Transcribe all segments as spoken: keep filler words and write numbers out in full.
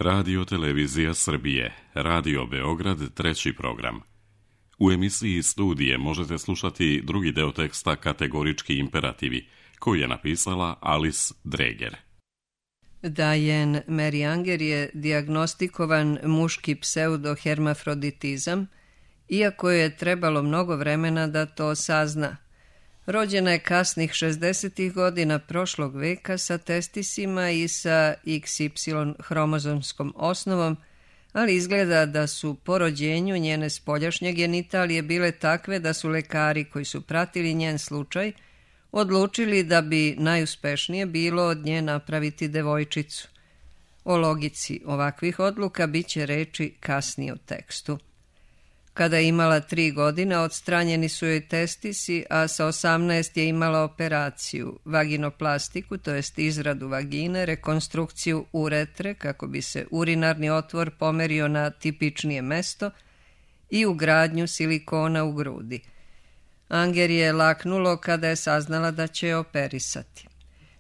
Radio Televizija Srbije, Radio Beograd, treći program. U emisiji Studije možete slušati drugi deo teksta Kategorički imperativi, koji je napisala Alice Dreger. Diane Mary Anger je dijagnostikovan muški pseudohermafroditizam, iako je trebalo mnogo vremena da to sazna. Rođena je kasnih šezdesetih godina prošlog veka sa testisima i sa iks ipsilon hromozomskom osnovom, ali izgleda da su po rođenju njene spoljašnje genitalije bile takve da su lekari koji su pratili njen slučaj odlučili da bi najuspešnije bilo od nje napraviti devojčicu. O logici ovakvih odluka bit će reči kasnije u tekstu. Kada je imala tri godina, odstranjeni su joj testisi, a sa osamnaest je imala operaciju, vaginoplastiku, to jest izradu vagine, rekonstrukciju uretre, kako bi se urinarni otvor pomerio na tipičnije mesto, i ugradnju silikona u grudi. Anger je laknulo kada je saznala da će je operisati.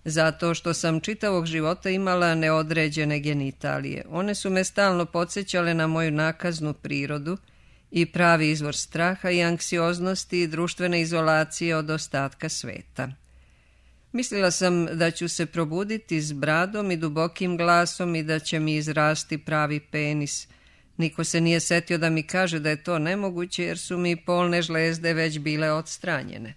Zato što sam čitavog života imala neodređene genitalije. One su me stalno podsjećale na moju nakaznu prirodu i pravi izvor straha i anksioznosti i društvene izolacije od ostatka sveta. Mislila sam da ću se probuditi s bradom i dubokim glasom i da će mi izrasti pravi penis. Niko se nije setio da mi kaže da je to nemoguće jer su mi polne žlezde već bile odstranjene.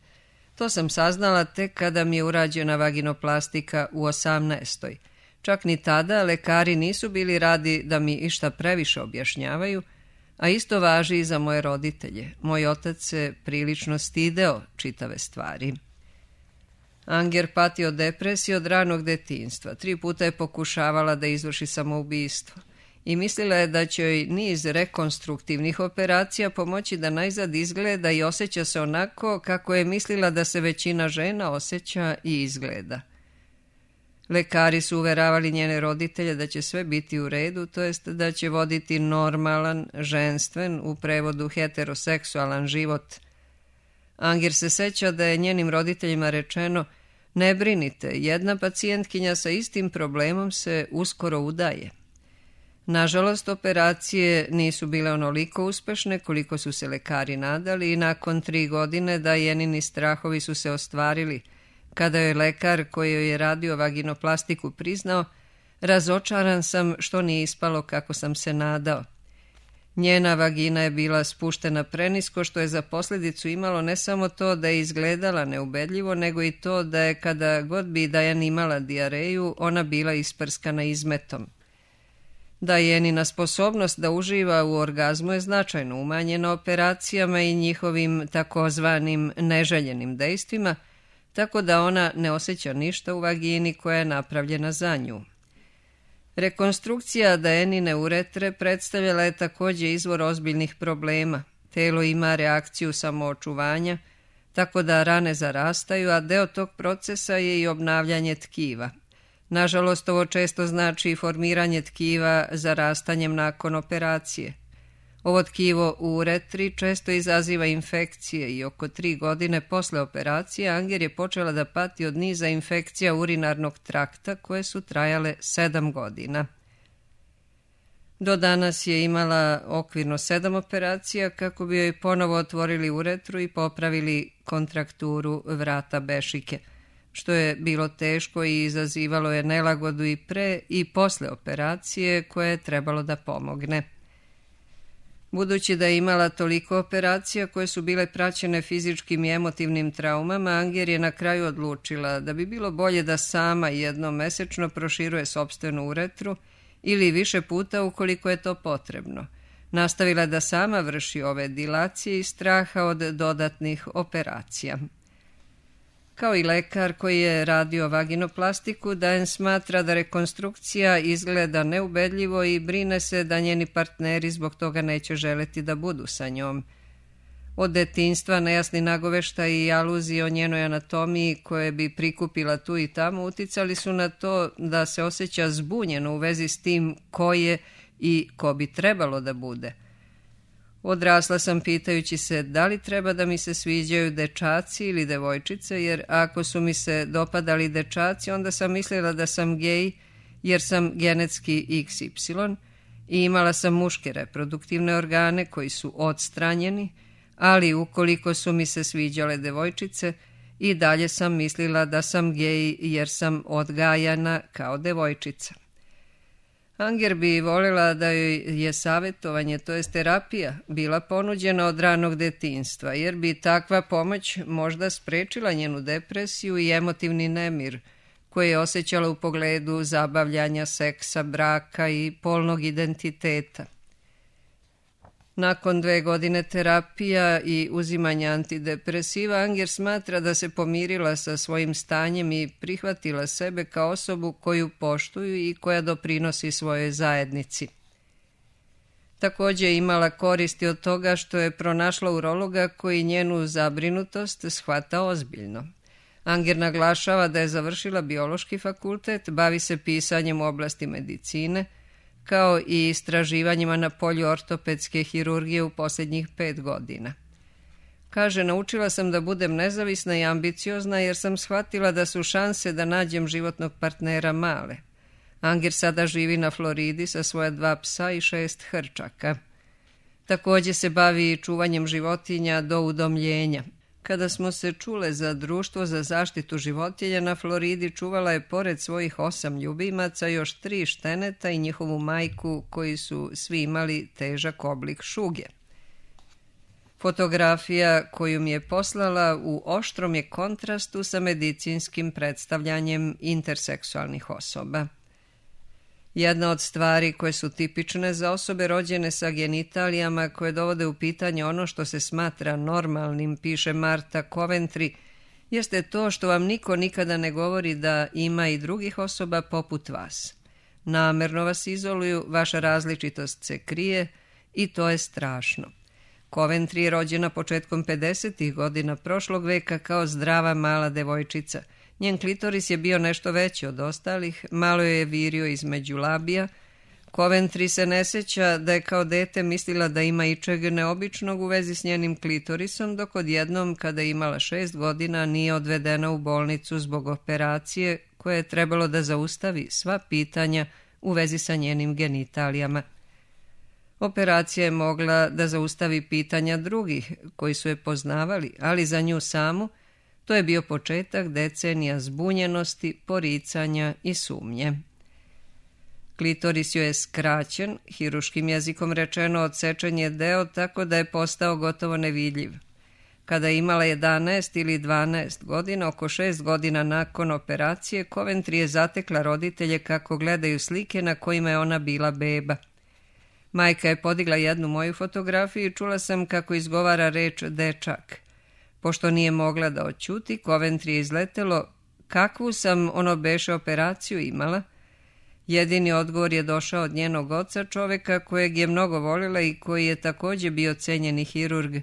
To sam saznala tek kada mi je urađena vaginoplastika u osamnaestoj. Čak ni tada lekari nisu bili radi da mi išta previše objašnjavaju, a isto važi i za moje roditelje. Moj otac se prilično stideo čitave stvari. Anger pati od depresije od ranog detinjstva. Tri puta je pokušavala da izvrši samoubistvo i mislila je da će joj niz rekonstruktivnih operacija pomoći da najzad izgleda i osjeća se onako kako je mislila da se većina žena osjeća i izgleda. Lekari su uveravali njene roditelje da će sve biti u redu, to jest da će voditi normalan, ženstven, u prevodu heteroseksualan život. Anger se seća da je njenim roditeljima rečeno: ne brinite, jedna pacijentkinja sa istim problemom se uskoro udaje. Nažalost, operacije nisu bile onoliko uspešne koliko su se lekari nadali i nakon tri godine Dianini strahovi su se ostvarili. Kada je lekar koji joj je radio vaginoplastiku priznao: razočaran sam što nije ispalo kako sam se nadao. Njena vagina je bila spuštena prenisko, što je za posljedicu imalo ne samo to da je izgledala neubedljivo, nego i to da je kada god bi Diana imala dijareju, ona bila isprskana izmetom. Dianina sposobnost da uživa u orgazmu je značajno umanjena operacijama i njihovim takozvanim neželjenim dejstvima, tako da ona ne osjeća ništa u vagini koja je napravljena za nju. Rekonstrukcija Dianine uretre predstavljala je također izvor ozbiljnih problema. Telo ima reakciju samoočuvanja, tako da rane zarastaju, a deo tog procesa je i obnavljanje tkiva. Nažalost, ovo često znači i formiranje tkiva zarastanjem nakon operacije. Ovo tkivo u uretri često izaziva infekcije i oko tri godine posle operacije Anger je počela da pati od niza infekcija urinarnog trakta koje su trajale sedam godina. Do danas je imala okvirno sedam operacija kako bi joj ponovo otvorili uretru i popravili kontrakturu vrata bešike, što je bilo teško i izazivalo je nelagodu i pre i posle operacije koje je trebalo da pomogne. Budući da je imala toliko operacija koje su bile praćene fizičkim i emotivnim traumama, Anger je na kraju odlučila da bi bilo bolje da sama jednom mesečno proširuje sopstvenu uretru ili više puta ukoliko je to potrebno. Nastavila da sama vrši ove dilacije iz straha od dodatnih operacija. Kao i lekar koji je radio vaginoplastiku, Diane smatra da rekonstrukcija izgleda neubedljivo i brine se da njeni partneri zbog toga neće želeti da budu sa njom. Od detinjstva nejasni nagoveštaj i aluzije o njenoj anatomiji koje bi prikupila tu i tamo uticali su na to da se osjeća zbunjeno u vezi s tim ko je i ko bi trebalo da bude. Odrasla sam pitajući se da li treba da mi se sviđaju dečaci ili devojčice, jer ako su mi se dopadali dečaci, onda sam mislila da sam gej jer sam genetski iks ipsilon i imala sam muške reproduktivne organe koji su odstranjeni, ali ukoliko su mi se sviđale devojčice, i dalje sam mislila da sam gej jer sam odgajana kao devojčica. Anger bi voljela da joj je savjetovanje, to jest terapija, bila ponuđena od ranog detinjstva, jer bi takva pomoć možda sprečila njenu depresiju i emotivni nemir koje je osjećala u pogledu zabavljanja, seksa, braka i polnog identiteta. Nakon dve godine terapija i uzimanja antidepresiva, Anger smatra da se pomirila sa svojim stanjem i prihvatila sebe kao osobu koju poštuju i koja doprinosi svojoj zajednici. Također je imala koristi od toga što je pronašla urologa koji njenu zabrinutost shvata ozbiljno. Anger naglašava da je završila biološki fakultet, bavi se pisanjem u oblasti medicine, kao i istraživanjima na polju ortopedske hirurgije u posljednjih pet godina. Kaže, naučila sam da budem nezavisna i ambiciozna jer sam shvatila da su šanse da nađem životnog partnera male. Anger sada živi na Floridi sa svoja dva psa i šest hrčaka. Također se bavi čuvanjem životinja do udomljenja. Kada smo se čule za društvo za zaštitu životinja na Floridi, čuvala je pored svojih osam ljubimaca još tri šteneta i njihovu majku koji su svi imali težak oblik šuge. Fotografija koju mi je poslala u oštrom je kontrastu sa medicinskim predstavljanjem interseksualnih osoba. Jedna od stvari koje su tipične za osobe rođene sa genitalijama koje dovode u pitanje ono što se smatra normalnim, piše Marta Coventry, jeste to što vam niko nikada ne govori da ima i drugih osoba poput vas. Namerno vas izoluju, vaša različitost se krije i to je strašno. Coventry je rođena početkom pedesetih godina prošlog veka kao zdrava mala devojčica. Njen klitoris je bio nešto veći od ostalih, malo je virio između labija. Coventry se ne sjeća da je kao dete mislila da ima ičeg neobičnog u vezi s njenim klitorisom, dok odjednom, kada je imala šest godina, nije odvedena u bolnicu zbog operacije koje je trebalo da zaustavi sva pitanja u vezi sa njenim genitalijama. Operacija je mogla da zaustavi pitanja drugih koji su je poznavali, ali za nju samu to je bio početak decenija zbunjenosti, poricanja i sumnje. Klitoris joj je skraćen, hiruškim jezikom rečeno odsečen je deo tako da je postao gotovo nevidljiv. Kada je imala jedanaest ili dvanaest godina, oko šest godina nakon operacije, Coventry je zatekla roditelje kako gledaju slike na kojima je ona bila beba. Majka je podigla jednu moju fotografiju i čula sam kako izgovara reč dečak. Pošto nije mogla da oćuti, Coventry je izletelo, kakvu sam ono beše operaciju imala? Jedini odgovor je došao od njenog oca, čoveka kojeg je mnogo volila i koji je također bio cenjeni hirurg.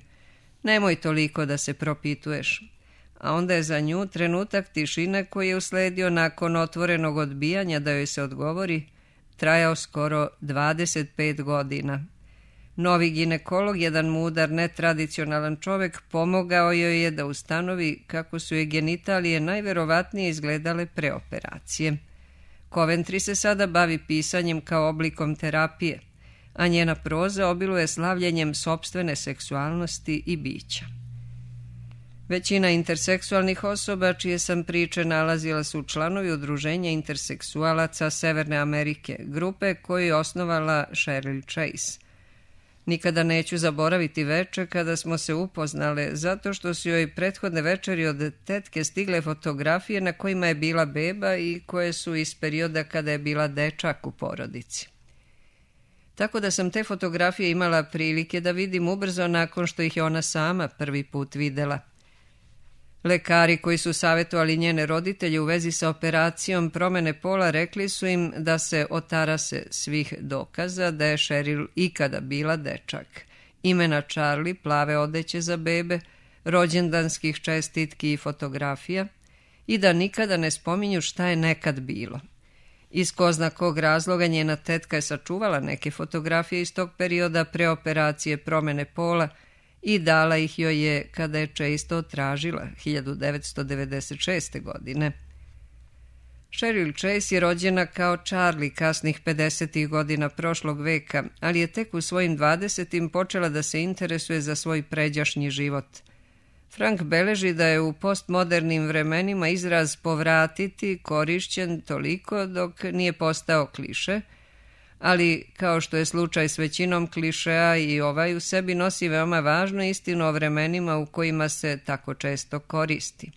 Nemoj toliko da se propituješ. A onda je za nju trenutak tišine koji je usledio nakon otvorenog odbijanja da joj se odgovori, trajao skoro dvadeset pet godina. Novi ginekolog, jedan mudar, netradicionalan čovjek, pomogao joj je da ustanovi kako su je genitalije najverovatnije izgledale pre operacije. Coventry se sada bavi pisanjem kao oblikom terapije, a njena proza obiluje slavljenjem sopstvene seksualnosti i bića. Većina interseksualnih osoba čije sam priče nalazila su članovi udruženja interseksualaca Severne Amerike, grupe koju je osnovala Cheryl Chase. Nikada neću zaboraviti veče kada smo se upoznale, zato što su joj prethodne večeri od tetke stigle fotografije na kojima je bila beba i koje su iz perioda kada je bila dečak u porodici. Tako da sam te fotografije imala prilike da vidim ubrzo nakon što ih je ona sama prvi put videla. Lekari koji su savjetovali njene roditelje u vezi sa operacijom promene pola rekli su im da se otarase svih dokaza da je Cheryl ikada bila dečak. Imena Charlie, plave odeće za bebe, rođendanskih čestitki i fotografija i da nikada ne spominju šta je nekad bilo. Iz ko zna kog razloga njena tetka je sačuvala neke fotografije iz tog perioda pre operacije promene pola i dala ih joj je kada je često tražila hiljadu devetsto devedeset šeste. godine. Cheryl Chase je rođena kao Charlie kasnih pedesetih godina prošlog veka, ali je tek u svojim dvadesetim počela da se interesuje za svoj pređašnji život. Frank beleži da je u postmodernim vremenima izraz povratiti korišćen toliko dok nije postao kliše, ali kao što je slučaj s većinom klišeja i ovaj u sebi nosi veoma važnu istinu o vremenima u kojima se tako često koristi.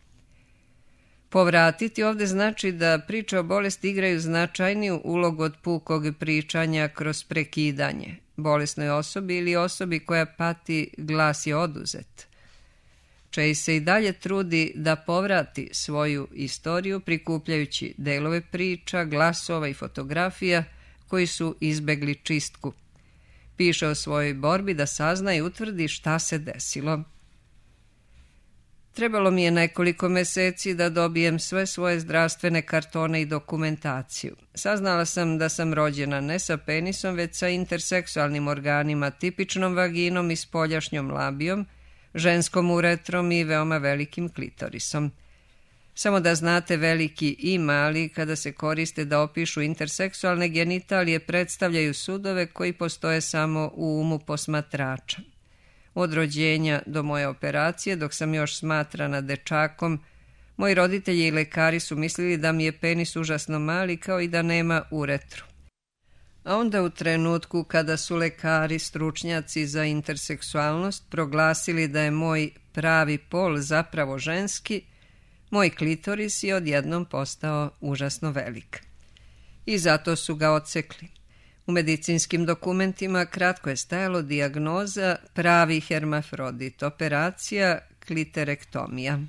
Povratiti ovdje znači da priče o bolesti igraju značajniju ulogu od pukog pričanja kroz prekidanje. Bolesnoj osobi ili osobi koja pati glas je oduzet. Chase se i dalje trudi da povrati svoju istoriju prikupljajući delove priča, glasova i fotografija koji su izbegli čistku. Piše o svojoj borbi da sazna i utvrdi šta se desilo. Trebalo mi je nekoliko meseci da dobijem sve svoje zdravstvene kartone i dokumentaciju. Saznala sam da sam rođena ne sa penisom, već sa interseksualnim organima, tipičnom vaginom i spoljašnjom labijom, ženskom uretrom i veoma velikim klitorisom. Samo da znate, veliki i mali, kada se koriste da opišu interseksualne genitalije, predstavljaju sudove koji postoje samo u umu posmatrača. Od rođenja do moje operacije, dok sam još smatrana dečakom, moji roditelji i lekari su mislili da mi je penis užasno mali, kao i da nema uretru. A onda u trenutku kada su lekari, stručnjaci za interseksualnost proglasili da je moj pravi pol zapravo ženski, moj klitoris je odjednom postao užasno velik. I zato su ga odsekli. U medicinskim dokumentima kratko je stajalo dijagnoza pravi hermafrodit, operacija kliterektomija.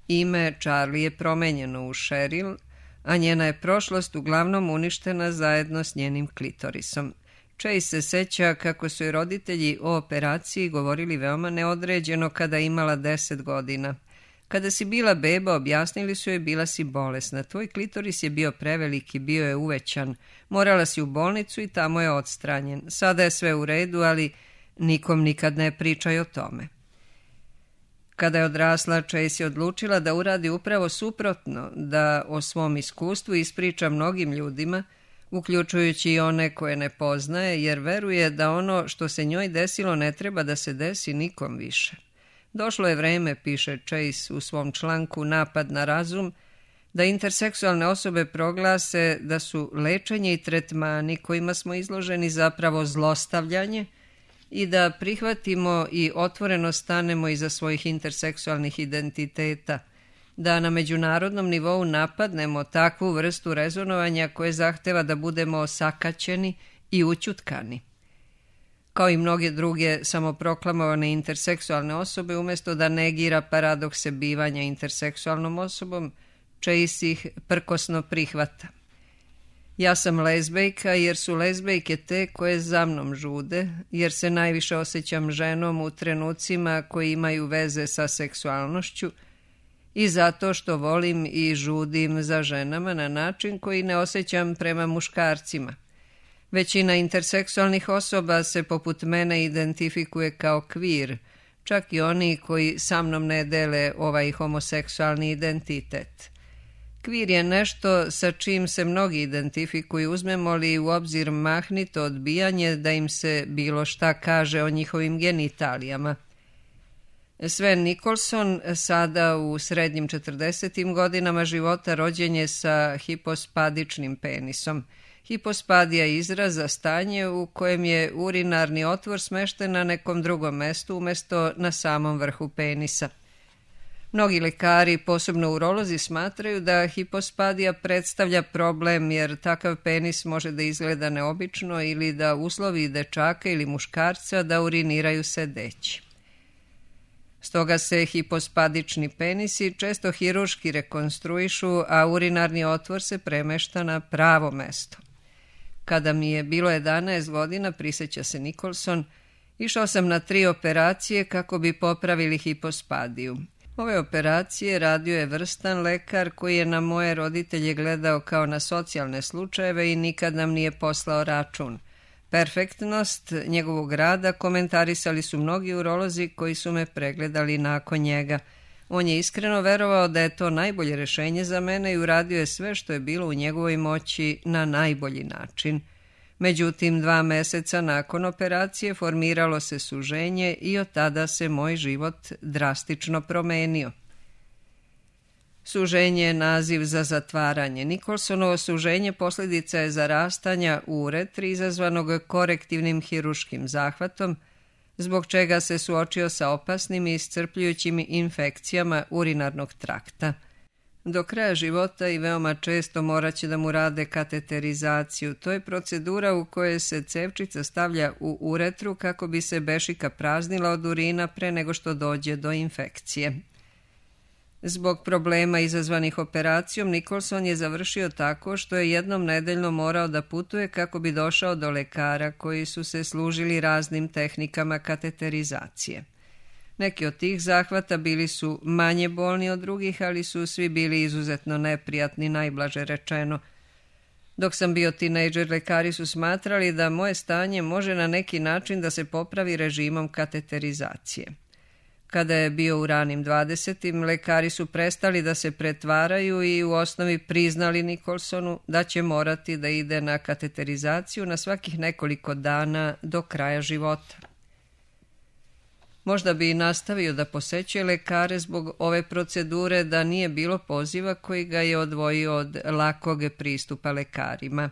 Ime Charlie je promenjeno u Cheryl, a njena je prošlost uglavnom uništena zajedno s njenim klitorisom. Chase se seća kako su joj roditelji o operaciji govorili veoma neodređeno kada je imala deset godina. Kada si bila beba, objasnili su joj, bila si bolesna. Tvoj klitoris je bio preveliki, bio je uvećan. Morala si u bolnicu i tamo je odstranjen. Sada je sve u redu, ali nikom nikad ne pričaj o tome. Kada je odrasla, Chase je odlučila da uradi upravo suprotno, da o svom iskustvu ispriča mnogim ljudima, uključujući i one koje ne poznaje, jer veruje da ono što se njoj desilo ne treba da se desi nikom više. Došlo je vreme, piše Chase u svom članku Napad na razum, da interseksualne osobe proglase da su lečenje i tretmani kojima smo izloženi zapravo zlostavljanje i da prihvatimo i otvoreno stanemo iza svojih interseksualnih identiteta, da na međunarodnom nivou napadnemo takvu vrstu rezonovanja koje zahteva da budemo osakaćeni i ućutkani. Kao i mnoge druge samoproklamovane interseksualne osobe, umjesto da negira paradokse bivanja interseksualnom osobom, Chase ih prkosno prihvata. Ja sam lezbejka jer su lezbejke te koje za mnom žude, jer se najviše osjećam ženom u trenucima koji imaju veze sa seksualnošću i zato što volim i žudim za ženama na način koji ne osjećam prema muškarcima. Većina interseksualnih osoba se poput mene identifikuje kao queer, čak i oni koji sa mnom ne dele ovaj homoseksualni identitet. Queer je nešto sa čim se mnogi identifikuju, uzmemo li u obzir mahnito odbijanje da im se bilo šta kaže o njihovim genitalijama. Sven Nicholson, sada u srednjim četrdesetim godinama života, rođen je sa hipospadičnim penisom. Hipospadija je izraz za stanje u kojem je urinarni otvor smešten na nekom drugom mestu umjesto na samom vrhu penisa. Mnogi lekari, posebno urolozi, smatraju da hipospadija predstavlja problem jer takav penis može da izgleda neobično ili da uslovi dečaka ili muškarca da uriniraju sedeći. Stoga se hipospadični penisi često hiruški rekonstruišu, a urinarni otvor se premešta na pravo mesto. Kada mi je bilo jedanaest godina, prisjeća se Nicholson, išao sam na tri operacije kako bi popravili hipospadiju. Ove operacije radio je vrstan lekar koji je na moje roditelje gledao kao na socijalne slučajeve i nikad nam nije poslao račun. Perfektnost njegovog rada komentarisali su mnogi urolozi koji su me pregledali nakon njega. On je iskreno verovao da je to najbolje rješenje za mene i uradio je sve što je bilo u njegovoj moći na najbolji način. Međutim, dva meseca nakon operacije formiralo se suženje i od tada se moj život drastično promenio. Suženje je naziv za zatvaranje. Nikolsonovo suženje posljedica je zarastanja u uretri izazvanog korektivnim hiruškim zahvatom, zbog čega se suočio sa opasnim i iscrpljujućim infekcijama urinarnog trakta. Do kraja života i veoma često morat će da mu rade kateterizaciju. To je procedura u kojoj se cevčica stavlja u uretru kako bi se bešika praznila od urina pre nego što dođe do infekcije. Zbog problema izazvanih operacijom, Nikolson je završio tako što je jednom nedeljno morao da putuje kako bi došao do lekara koji su se služili raznim tehnikama kateterizacije. Neki od tih zahvata bili su manje bolni od drugih, ali su svi bili izuzetno neprijatni, najblaže rečeno. Dok sam bio tinejdžer, lekari su smatrali da moje stanje može na neki način da se popravi režimom kateterizacije. Kada je bio u ranim dvadesetim, lekari su prestali da se pretvaraju i u osnovi priznali Nikolsonu da će morati da ide na kateterizaciju na svakih nekoliko dana do kraja života. Možda bi i nastavio da posećuje lekare zbog ove procedure da nije bilo poziva koji ga je odvojio od lakog pristupa lekarima.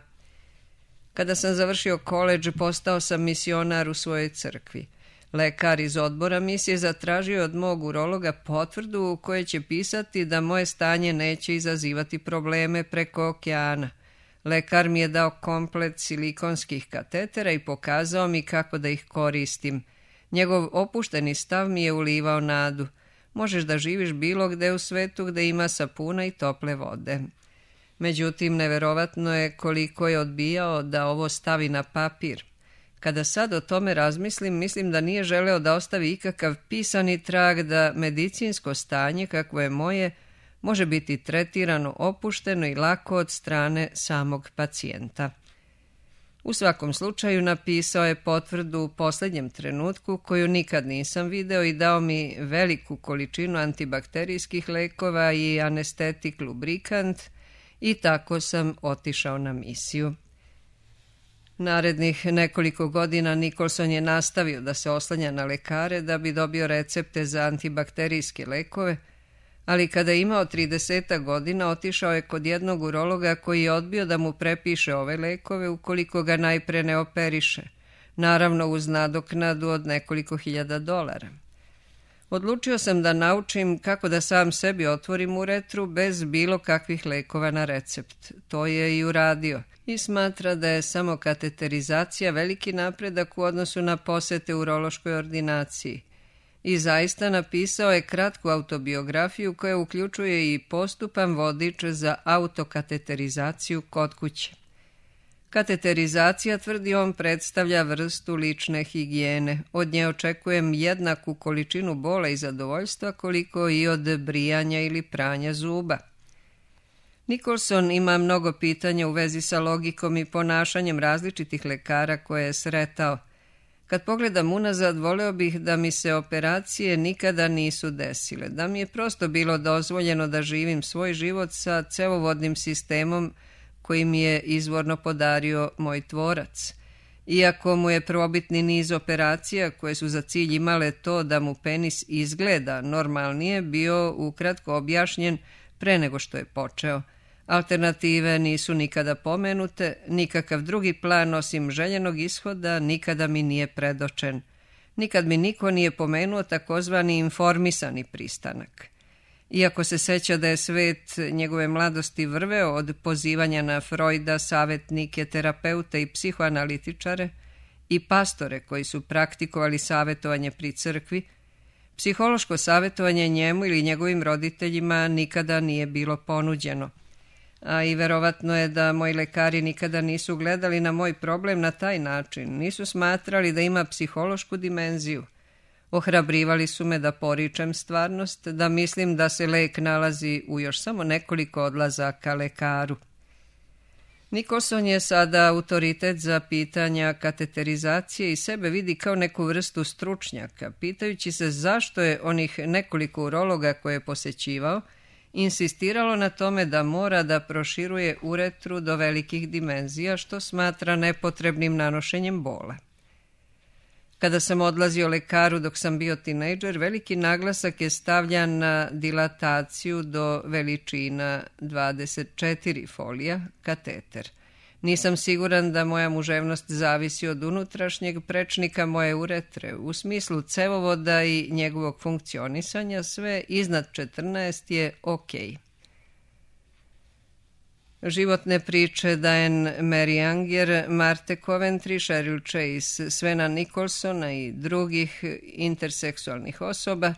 Kada sam završio koledž, postao sam misionar u svojoj crkvi. Lekar iz odbora misije zatražio od mog urologa potvrdu u kojoj će pisati da moje stanje neće izazivati probleme preko okeana. Lekar mi je dao komplet silikonskih katetera i pokazao mi kako da ih koristim. Njegov opušteni stav mi je ulivao nadu. Možeš da živiš bilo gde u svetu gde ima sapuna i tople vode. Međutim, neverovatno je koliko je odbijao da ovo stavi na papir. Kada sad o tome razmislim, mislim da nije želeo da ostavi ikakav pisani trag da medicinsko stanje, kakvo je moje, može biti tretirano opušteno i lako od strane samog pacijenta. U svakom slučaju napisao je potvrdu u posljednjem trenutku koju nikad nisam video i dao mi veliku količinu antibakterijskih lekova i anestetik lubrikant i tako sam otišao na misiju. Narednih nekoliko godina Nikolson je nastavio da se oslanja na lekare da bi dobio recepte za antibakterijske lekove, ali kada je imao trideset godina otišao je kod jednog urologa koji je odbio da mu prepiše ove lekove ukoliko ga najpre ne operiše, naravno uz nadoknadu od nekoliko hiljada dolara. Odlučio sam da naučim kako da sam sebi otvorim uretru bez bilo kakvih lekova na recept. To je i uradio i smatra da je samo kateterizacija veliki napredak u odnosu na posete urološkoj ordinaciji. I zaista napisao je kratku autobiografiju koja uključuje i postupan vodič za autokateterizaciju kod kuće. Kateterizacija, tvrdi on, predstavlja vrstu lične higijene. Od nje očekujem jednaku količinu bola i zadovoljstva koliko i od brijanja ili pranja zuba. Nikolson ima mnogo pitanja u vezi sa logikom i ponašanjem različitih lekara koje je sretao. Kad pogledam unazad, voleo bih da mi se operacije nikada nisu desile, da mi je prosto bilo dozvoljeno da živim svoj život sa cevovodnim sistemom koji mi je izvorno podario moj tvorac. Iako mu je prvobitni niz operacija koje su za cilj imale to da mu penis izgleda normalnije bio ukratko objašnjen pre nego što je počeo. Alternative nisu nikada pomenute, nikakav drugi plan osim željenog ishoda nikada mi nije predočen. Nikad mi niko nije pomenuo takozvani informisani pristanak. Iako se seća da je svet njegove mladosti vrveo od pozivanja na Freuda, savjetnike, terapeute i psihoanalitičare i pastore koji su praktikovali savjetovanje pri crkvi, psihološko savjetovanje njemu ili njegovim roditeljima nikada nije bilo ponuđeno. A i verovatno je da moji lekari nikada nisu gledali na moj problem na taj način, nisu smatrali da ima psihološku dimenziju. Ohrabrivali su me da poričem stvarnost, da mislim da se lek nalazi u još samo nekoliko odlazaka lekaru. Nicholson je sada autoritet za pitanja kateterizacije i sebe vidi kao neku vrstu stručnjaka, pitajući se zašto je onih nekoliko urologa koje je posećivao insistiralo na tome da mora da proširuje uretru do velikih dimenzija, što smatra nepotrebnim nanošenjem bola. Kada sam odlazio lekaru dok sam bio tinejdžer, veliki naglasak je stavljan na dilataciju do veličina dvadeset četiri folija, kateter. Nisam siguran da moja muževnost zavisi od unutrašnjeg prečnika moje uretre. U smislu cevovoda i njegovog funkcionisanja sve iznad četrnaest je ok. Životne priče Diane Mary Anger, Marte Coventry, Cheryl Chase, Svena Nicholsona i drugih interseksualnih osoba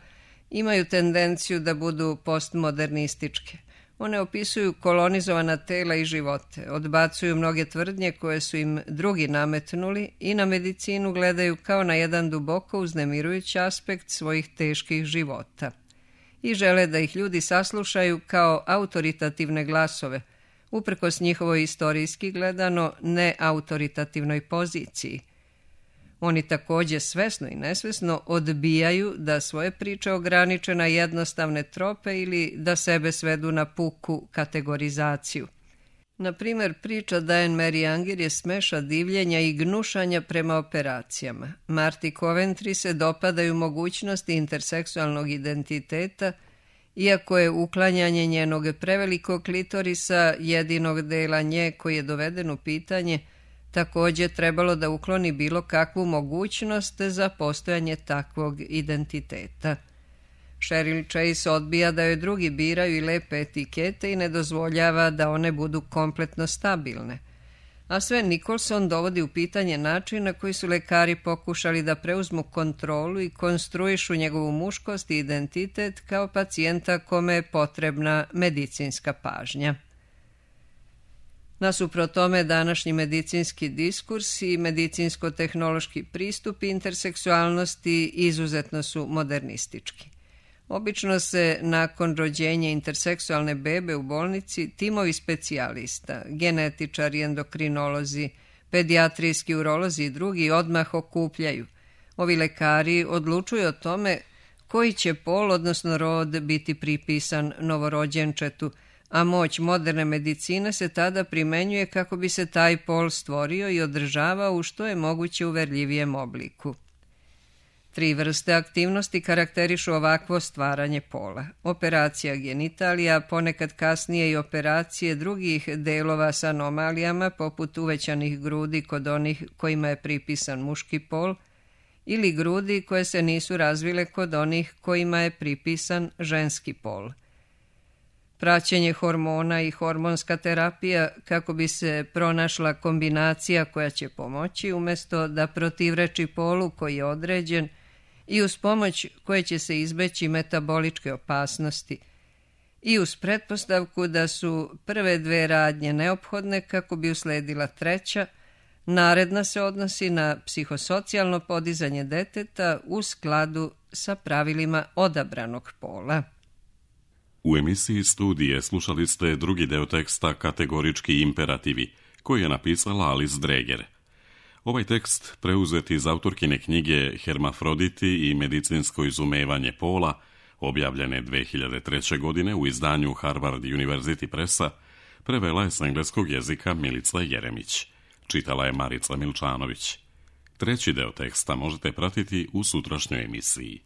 imaju tendenciju da budu postmodernističke. One opisuju kolonizovana tela i živote, odbacuju mnoge tvrdnje koje su im drugi nametnuli i na medicinu gledaju kao na jedan duboko uznemirujući aspekt svojih teških života. I žele da ih ljudi saslušaju kao autoritativne glasove, uprkos njihovoj istorijski gledano neautoritativnoj poziciji. Oni također svesno i nesvesno odbijaju da svoje priče ograniče na jednostavne trope ili da sebe svedu na puku kategorizaciju. Na primjer, priča Diane Mary Anger je smeša divljenja i gnušanja prema operacijama. Marti Coventry se dopadaju mogućnosti interseksualnog identiteta, iako je uklanjanje njenog prevelikog klitorisa, jedinog dela nje koji je doveden u pitanje, također trebalo da ukloni bilo kakvu mogućnost za postojanje takvog identiteta. Cheryl Chase odbija da joj drugi biraju i lepe etikete i ne dozvoljava da one budu kompletno stabilne. A Sven Nicholson dovodi u pitanje način na koji su lekari pokušali da preuzmu kontrolu i konstruišu njegovu muškost i identitet kao pacijenta kome je potrebna medicinska pažnja. Nasuprot tome, današnji medicinski diskurs i medicinsko-tehnološki pristup interseksualnosti izuzetno su modernistički. Obično se nakon rođenja interseksualne bebe u bolnici timovi specijalista, genetičari, endokrinolozi, pedijatrijski urolozi i drugi odmah okupljaju. Ovi lekari odlučuju o tome koji će pol, odnosno rod, biti pripisan novorođenčetu, a moć moderne medicine se tada primenjuje kako bi se taj pol stvorio i održavao u što je moguće uverljivijem obliku. Tri vrste aktivnosti karakterišu ovakvo stvaranje pola. Operacija genitalija, ponekad kasnije i operacije drugih delova s anomalijama, poput uvećanih grudi kod onih kojima je pripisan muški pol, ili grudi koje se nisu razvile kod onih kojima je pripisan ženski pol. Praćenje hormona i hormonska terapija kako bi se pronašla kombinacija koja će pomoći umjesto da protivreči polu koji je određen i uz pomoć koje će se izbeći metaboličke opasnosti i uz pretpostavku da su prve dve radnje neophodne kako bi usledila treća, naredna se odnosi na psihosocijalno podizanje deteta u skladu sa pravilima odabranog pola. U emisiji Studije slušali ste drugi deo teksta Kategorički imperativi, koji je napisala Alice Dreger. Ovaj tekst preuzet iz autorkine knjige Hermafroditi i medicinsko izumevanje pola, objavljene dve hiljade treće. godine u izdanju Harvard University Pressa, prevela je s engleskog jezika Milica Jeremić. Čitala je Marica Milčanović. Treći deo teksta možete pratiti u sutrašnjoj emisiji.